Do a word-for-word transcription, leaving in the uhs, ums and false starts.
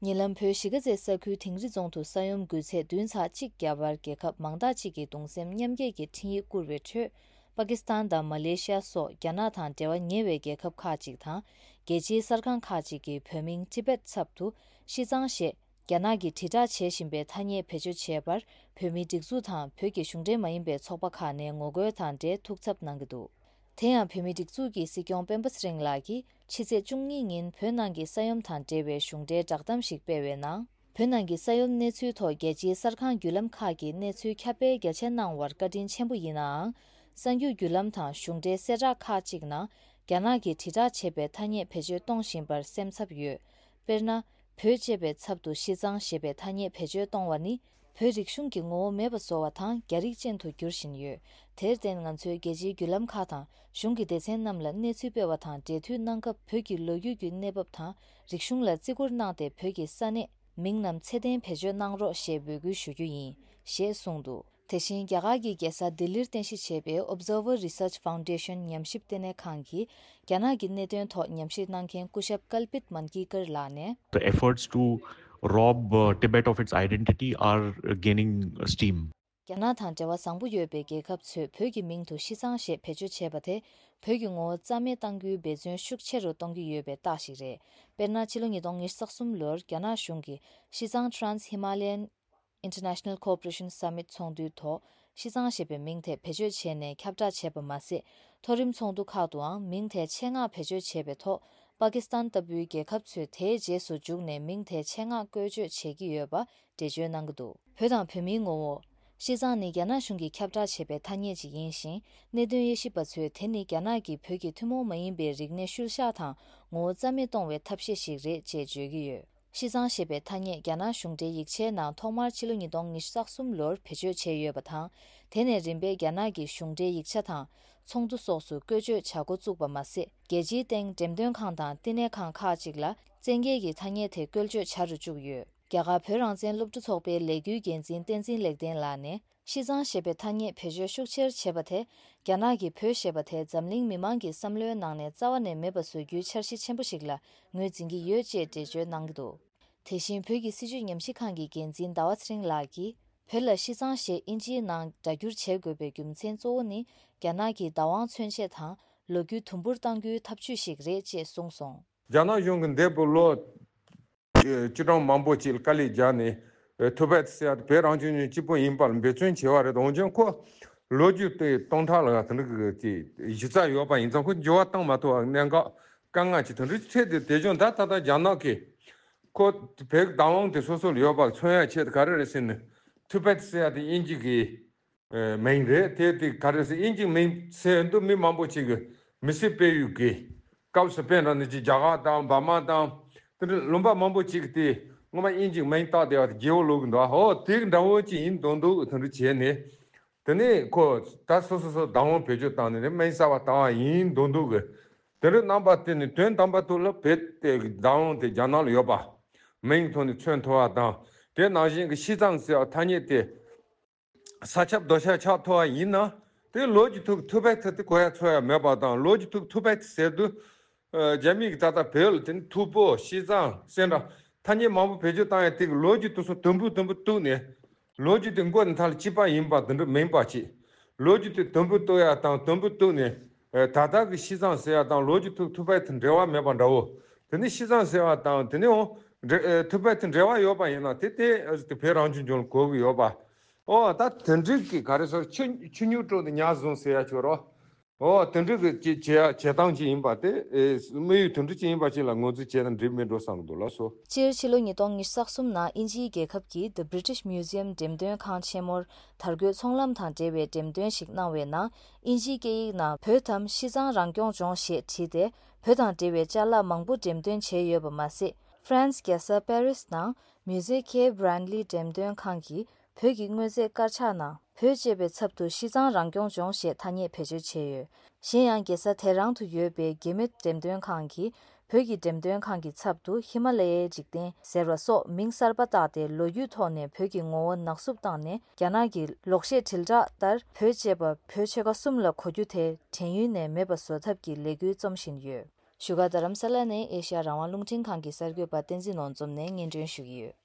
ཉེ་ལམ་བོད་གཞིས་ཀ་རྩེ་ས་ཁུལ་དིང་རི་རྫོང་དུ་ས་ཡོམ་འགུལ་ཚད་བདུན་ཚེག་གཅིག་བརྒྱབ་པར། རྒྱལ་ཁབ་མང་དག་ཅིག་གིས་གདུང་སེམས་མཉམ་སྐྱེད་ཀྱི་འཕྲིན་ཡིག་བསྐུར་བའི་ཁྲོད། པ་ཀི་སི་ཐན་དང་མ་ལེ་ཤི་ཡ་སོགས་རྒྱ་ནག་དང་འབྲེལ་བ་ཉེ་བའི་རྒྱལ་ཁབ་ཁག་ཅིག་དང་། རྒྱལ་སྤྱིའི་གསར་ཁང་ཁག་ཅིག་གིས་བོད་མིང་ཊི་བེཊ་ཚབ་ཏུ་ཤི་ཙང་ཞེས་རྒྱ་ནག་གིས་དྲིལ་བསྒྲགས་བྱེད་བཞིན་པའི་ཐ་སྙད་བེད་སྤྱོད་བྱས་པར། བོད་མིའི་སྒྲིག་འཛུགས་དང་བོད་ཀྱི་གཞུང་འབྲེལ་མ་ཡིན་པའི་ཚོགས་པ་ཁག་ནས་ངོ་རྒོལ་དང་འབྲེལ་ཐུགས་འཚབ་གནང་གི་འདུག་དེ་ཡང་། བོད་མིའི་སྒྲིག་འཛུགས་ཀྱི་སྲིད་སྐྱོང་སྤེན་པ་ཚེ་རིང་ལགས་ཀྱིས་ཕྱི་ཚེས་བཅུ་གཉིས་ཉིན་བོད་ནང་གི་ས་ཡོམ་དང་འབྲེལ་བའི་གཞུང་འབྲེལ་བསྒྲགས་གཏམ་ཞིག་སྤེལ་བའི་ནང་། བོད་ནང་གི་ས་ཡོམ་གནས་ཚུལ་ཐོག་རྒྱལ་སྤྱིའི་གསར་ཁང་བརྒྱུད་ལམ་ཁག་གིས་གནས་ཚུལ་ཁྱབ་སྤེལ་རྒྱ་ཆེ་གནང་བར་བཀའ་དྲིན་ཆེན་པོ་ཡིན་ནའང་། གསར་འགྱུར་བརྒྱུད་ལམ་དང་གཞུང་འབྲེལ་གསལ་བསྒྲགས་ཁག་ཅིག་ནང་རྒྱ་ནག་གིས་དྲིལ་བསྒྲགས་བྱས་པའི་ཐ་སྙད་བེད་སྤྱོད་གཏོང་བཞིན་པར་སེམས་འཚབ་ཡོད། དཔེར་ན། བོད་ཅེས་པའི་ཚབ་ཏུ་ཤི་ཙང་ཞེས་པའི་ཐ་སྙད་བེད་སྤྱོད་གཏོང་བ་ནི། བོད་རིག་གཞུང་གི་ངོ་བོ་མེད་པ་བཟོ་བ་དང་། རྒྱ་རིགས་ཅན་དུ་འགྱུར་བཞིན་ཡོད། དེར་བརྟེན། ང་ཚོས་རྒྱལ་སྤྱིའི་བརྒྱུད་ལམ་ཁག་དང་གཞུང་གི་སྡེ་ཚན་རྣམས་ལ་གནས་ཚུལ་སྤེལ་བ་དང་འབྲེལ་མཐུད་གནང་སྐབས། བོད་ཀྱི་ལོ་རྒྱུས་ཀྱི་གནས་བབ་དང་རིག་གཞུང་ལ་བརྩི་བཀུར་གནང་སྟེ། བོད་ཀྱི་ས་གནས་མིང་རྣམས་ཚད་ལྡན་བེད་སྤྱོད་གནང་རོགས་ཞེས་འབོད་སྐུལ་ཞུ་རྒྱུ་ཡིན། ཞེས་གསུངས་འདུག་དེ་བཞིན། རྒྱ་གར་གྱི་རྒྱལ་ས་ལྡི་ལིར་རྟེན་གཞི་བྱས་པའི་Observer Research Foundation ཉམས་ཞིབ་ལྟེ་གནས་ཁང་གིས། རྒྱ་ནག་གི་གནད་དོན་ཐོག་ཉམས་ཞིབ་གནང་མཁན་སྐུ་ཞབས་ཀལ་པིད་མན་ཀི་ཀར་ལགས་ནས། The efforts to rob uh, Tibet of its identity are gaining steam. རྒྱ་ནག་དང་འབྲེལ་བ་བཟང་པོ་ཡོད་པའི་རྒྱལ་ཁབ་ཚོས་བོད་ཀྱི་མིང་དུ་ཤི་ཙང་ཞེས་བེད་སྤྱོད་བྱས་པ་དེ། བོད་ཀྱི་ངོ་བོ་རྩ་མེད་གཏང་རྒྱུའི་འབད་བརྩོན་ཤུགས་ཆེ་རུ་གཏོང་གི་ཡོད་པའི་རྟགས་ཤིག་རེད། དཔེར་ན། ཕྱི་ལོ་ཉིས་སྟོང་ཉི་ཤུ་རྩ་གསུམ་ལོར་རྒྱ་ནག་གཞུང་གིས་ཤི་ཙང་Trans Himalayan International Cooperation Summit ཚོགས་འདུའི་ཐོག་ཤི་ཙང་ཞེས་པའི་མིང་དེ་བེད་སྤྱོད་བྱས་ནས་ཁྱབ་བསྒྲགས་བྱས་པ་མ་ཟད། མཐོ་རིམ་ཚོགས་འདུ་ཁག་ཏུའང་མིང་དེ་ཆེད་མངགས་བེད་སྤྱོད་བྱས་པའི་ཐོག་པ་ཀི་སི་ཐན་ལྟ་བུའི་རྒྱལ་ཁབ་ཚོས་དེའི་རྗེས་སུ་འཇུག་ནས་མིང་དེ་ཆེད་མངགས་བཀོལ་སྤྱོད་བྱེད་ཀྱི་ཡོད་པ་འགྲེལ་བརྗོད་གནང་གི་འདུག་བོད་དང་བོད་མིའི་ངོ་བོ། ཤི་ཙང་ནི་རྒྱ་ནག་གཞུང་གིས་ཁྱབ་བསྒྲགས་བྱས་པའི་ཐ་སྙད་ཅིག་ཡིན་ཞིང་། གནད་དོན་དབྱེ་ཞིབ་པ་ཚོས་དེ་ནི་རྒྱ་ནག་གིས་བོད་ཀྱི་ཐུན་མོང་མ་ཡིན་པའི་རིག་གནས་ཤུལ་བཞག་དང་ངོ་བོ་རྩ་མེད་གཏོང་བའི་ཐབས་ཤེས་ཤིག་རེད་ཅེས་བརྗོད་ཀྱི་ཡོད། ཤི་ཙང་ཞེས་པའི་ཐ་སྙད་རྒྱ་ནག་གཞུང་འབྲེལ་ཡིག་ཆའི་ནང་ཐོག་མར་ཕྱི་ལོ་ཉིས་སྟོང་ཉི་ཤུ་རྩ་གསུམ་ལོར་བེད་སྤྱོད་བྱས་ཡོད་པ་དང་། དེ་ནས་རིམ་པས་རྒྱ་ནག་གི་གཞུང་འབྲེལ་ཡིག་ཆ་དང་ཚོགས་འདུ་སོགས་སུ་བཀོལ་སྤྱོད་བྱ་འགོ་བཙུགས་པ་མ་ཟད། རྒྱལ་སྤྱིའི་སྟེང་འགྲེམས་སྟོན་ཁང་དང་བསྟི་གནས་ཁང་ཁག་ཅིག་ལ་བཙན་གྱིས་ཀྱི་ཐ་སྙད་དེ་བཀོལ་སྤྱོད་བྱ་རུ་བཅུག་ཡོད། རྒྱ་གར་བོད་རང་བཙན་སློབ་ཕྲུག་ཚོགས་པའི་ལས་འགུལ་འགན་འཛིན་བསྟན་འཛིན་ལེགས་ལྡན་ལགས་ནས། ཤི་ཙང་ཞེས་པའི་ཐ་སྙད་བེད་སྤྱོད་ཤུགས་ཆེར་བྱེད་པ་དེ། རྒྱ་ནག་གིས་བོད་ཞེས་པ་དེ་འཛམ་གླིང་མི་མང་གི་བསམ་བློའི་ནང་ནས་རྩ་བ་ནས་མེད་པ་བཟོ་རྒྱུའི་འཆར་གཞི་ཆེན་པོ་ཞིག་ལ་ངོས་འཛིན་གྱི་ཡོད་ཅེས་འགྲེལ་བརྗོད་གནང་གི་འདུག་དེ་བཞིན། བོད་ཀྱི་སྲིད་བྱུས་ཉམས་ཞིབ་ཁང་གི་འགན་འཛིན་ཟླ་བ་ཚེ་རིང་ལགས་ཀྱིས། བོད་ལ་ཤི་ཙང་ཞེས་ཨིན་ཇིའི་ནང་སྒྲ་སྒྱུར་བྱེད་དགོས་པའི་རྒྱུ་མཚན་གཙོ་བོ་ནི། རྒྱ་ནག་གིས་བདག་དབང་མཚོན་ཆེད་དང་ལོ་རྒྱུས་དུམ་བུར་གཏང་རྒྱུའི་ཐབས་ཇུས་ཤིག་རེད་ཅེས་གསུངས་སོང་། རྒྱ་ནག་གཞུང་གིས་འདས་པའི་ལོ་བཅུ་གྲངས་མང་པོ་ཅིག་དཀའ་ལས་བརྒྱབ་ནས། ཐུ་བེད་ཟེར་ཡ་དེ་བོད་རང་སྐྱོང་ལྗོངས་གཅིག་པུ་ཡིན་པར་འབད་བརྩོན་བྱས་པ་རེད། འོན་ཀྱང་ཁོ་ལོ་རྒྱུས་དེ་སྟོང་ཕྲག་ལ་དེ་འདྲ་གི་གཞི་རྩ་ཡོད་པ་ཡིན་ཙང་། ཁོ་འགྱུར་བ་བཏང་མ་ཐུབ་པ་གནད་འགག་དཀའ་ངལ་ཅིག་དེ་འདྲ་འཕྲད་དེ། དེ་བྱུང་ད་ད་ལྟ་རྒྱ་ནག་གིས་ཁོ་བོད་བདག་དབང་དེ་སོ་སོ་ལ་ཡོད་པ་མཚོན་ཡ་ཆེད་དུ་ག་རེ་རེད་ཟེར་ན། ཐུ་བེད་ཟེར་ཡ་དེ་དབྱིན་ཇི་གི་མིང་རེད། དེ་དེ་ག་རེ་ཟེར། དབྱིན་ཇིའི་མིང་ཟེར་འདུག་མི་མང་པོ་ཅིག་གིས་མི་སེར་སྤེལ་ཡུལ་གྱི་སྐབས་སུ། དཔེར་ན་ནི་ཅིག་རྒྱ་གར་དང་འབར་མ་དང་། དེ་འདྲ་ལུང་པ་མང་པོ་ཅིག་གིས་དེ་སྔོན་མ་དབྱིན་ཇིའི་མིང་བཏགས་བསྡད་པ་དེ་རྒྱལ་པོ་ལབ་ཀྱི་འདུག་ཨོ་དེ་འདྲ་བོ་ཅིག་ཡིན་མདོག་མདོག་དེ་འདྲ་བྱས་ནས། དེ་ནས་ཁོ་ད་སོ་སོ་སོ་བདག་དབང་བེད་སྤྱོད་བཏང་ནས་ནི་མིང་གསར་པ་བཏང་བ་ཡིན་མདོག་མདོག་གི། དེ་འདྲ་གནང་པ་དེ་ནི་དོན་དམ་པ་ཐོག་ལ་བོད་དེ་བདག་དབང་དེ་རྒྱ་ནག་ལ་ཡོད་པ། མིང་ཐོག་ནས་མཚོན་ཐུབ་པ་དང་། དེ་ནང་བཞིན་གྱི་ཤི་ཙང་ཟེར་བ་ཐ་སྙད་དེ། ས་ཁྱབ་རྡོ་ཁྱབ་ཆགས་ཐུབ་པ་ཡིན་ན། དེ་ལོ་རྒྱུས་ཐོག་ཐུ་བེད་དེ་གོ་ཡ་ཚོར་ཡ་མེད་པ་དང་། ལོ་རྒྱུས་ཐོག་ཐུ་བེད་ཟེར་དུས། ཨ། རྒྱ་མི་གིས་ད་ལྟ་བོད་ལ་དེ་ནི་ཐུ་བོ་ཤི་ཙང་ཟེར་འདྲ་ཐ་སྙད་མང་པོ་བེད་སྤྱོད་བཏང་ཡ་དེ་གི་ལོ་རྒྱུས་དེ་ཚོ་དུམ་བུ་དུམ་བུ་གཏུགས་ནས། ལོ་རྒྱུས་དེ་མགོ་ནས་མཐའ་ལ་གཅིག་པ་ཡིན་པ་དེ་འདྲ་མིན་པ་ཅིག་ལོ་རྒྱུས་དེ་དུམ་བུ་གཏུགས་ཡ་དང་དུམ་བུ་གཏུགས་ནས། ཨ། ད་ལྟ་གི་ཤི་ཙང་ཟེར་ཡ་དང་ལོ་རྒྱུས་ཐོག་ཐུ་བེད་དེ་འབྲེལ་བ་མེད་པ་འདྲ་བོ། དེ་ནི་ཤི་ཙང་ཟེར་བ་དང་དེ་ནི་འོང་། འབྲེ། ཨ། ཐུ་བེད་དེ་འབྲེལ་བ་ཡོད་པ་ཡིན་ན་དེ་དེ་དེ་བོད་རང་སྐྱོང་ལྗོངས་ལ་གོ་གི་ཡོད་པ། ཨོ་ད་དེ་འགྲིག་གི་ག་རེ་ཟེར། ཆུ་ཆུ་སྨྱུག་དཀྲོལ་ཏེ་ཉ་བཟུང་ཟེར་ཡ་ཆོག་རོ། ཨོ་དེ་འགྲིག་གི་བྱེད་བྱེད་བྱེད་སྟངས་ཅིག་ཡིན་པ་དེ། ཨེ། དམིགས་ཡུལ་དེ་འདྲ་ཅིག་ཡིན་པ་ཅིག་ལ་ངོས་འཛིན་བྱས་ན་འགྲིག་མི་འགྲོ་བསམ་གི་འདུག་ལགས་སོ། སྤྱིར་ཕྱི་ལོ་ཉིས་སྟོང་ཉི་ཤུ་རྩ་གསུམ་ནང་དབྱིན་ཇིའི་རྒྱལ་ཁབ་ཀྱི་The British Museum འགྲེམས་སྟོན་ཁང་ཆེན་མོར་དར་གོས་ཚོང་ལམ་དང་འབྲེལ་བའི་འགྲེམས་སྟོན་ཞིག་གནང་བའི་ནང་། དབྱིན་ཇིའི་སྐད་ཡིག་ནང་བོད་དམ་ཤི་ཙང་རང་སྐྱོང་ལྗོངས་ཞེས་བྲིས་ཏེ། བོད་དང་འབྲེལ་བའི་ཅ་ལག་མང་པོ་འགྲེམས་སྟོན་བྱས་ཡོད་པ་མ་ཟད། ཧྥ་རན་སི་རྒྱལ་ས་པེ་རི་སི་ནང་Musée Quai Branly འགྲེམས་སྟོན་ཁང་གིས་བོད་ཀྱི་དངོས་རྫས་དཀར་ཆག་ནང་བོད་ཅེས་པའི་ཚབ་ཏུ་ཤི་ཙང་རང་སྐྱོང་ལྗོངས་ཞེས་ཐ་སྙད་བེད་སྤྱོད་བྱས་ཡོད། གཞན་ཡང་། རྒྱལ་ས་དེ་རང་དུ་ཡོད་པའི་གེ་མེད་འགྲེམས་སྟོན་ཁང་གིས་བོད་ཀྱི་འགྲེམས་སྟོན་ཁང་གི་ཚབ་ཏུ་ཧི་མ་ལ་ཡའི་འཇིག་རྟེན་ཟེར་བ་སོགས་མིང་གསར་པ་བཏགས་ཏེ། ལོ་རྒྱུས་ཐོག་ནས་བོད་ཀྱི་ངོ་བོ་ནག་བསུབ་བཏང་ནས། རྒྱ་ནག་གི་ལོག་བཤད་དྲིལ་བསྒྲགས་ལྟར་བོད་ཅེས་པ་བོད་ཆོལ་ཁ་གསུམ་ལ་གོ་རྒྱུ་དེ་དྲན་ཡུལ་ནས་མེད་པ་བཟོ་ཐབས་ཀྱི་ལས་འགུལ་རྩོམ་བཞིན་ཡོད། བཞུགས་སྒར་རྡ་རམ་ས་ལ་ནས་ཨེ་ཤ་ཡ་རང་དབང་རླུང་འཕྲིན་ཁང་གི་གསར་འགོད་པ་བསྟན་འཛིན་ནོར་འཛོམས་ནས་སྙན་སྒྲོན་ཞུ་གི་ཡོད།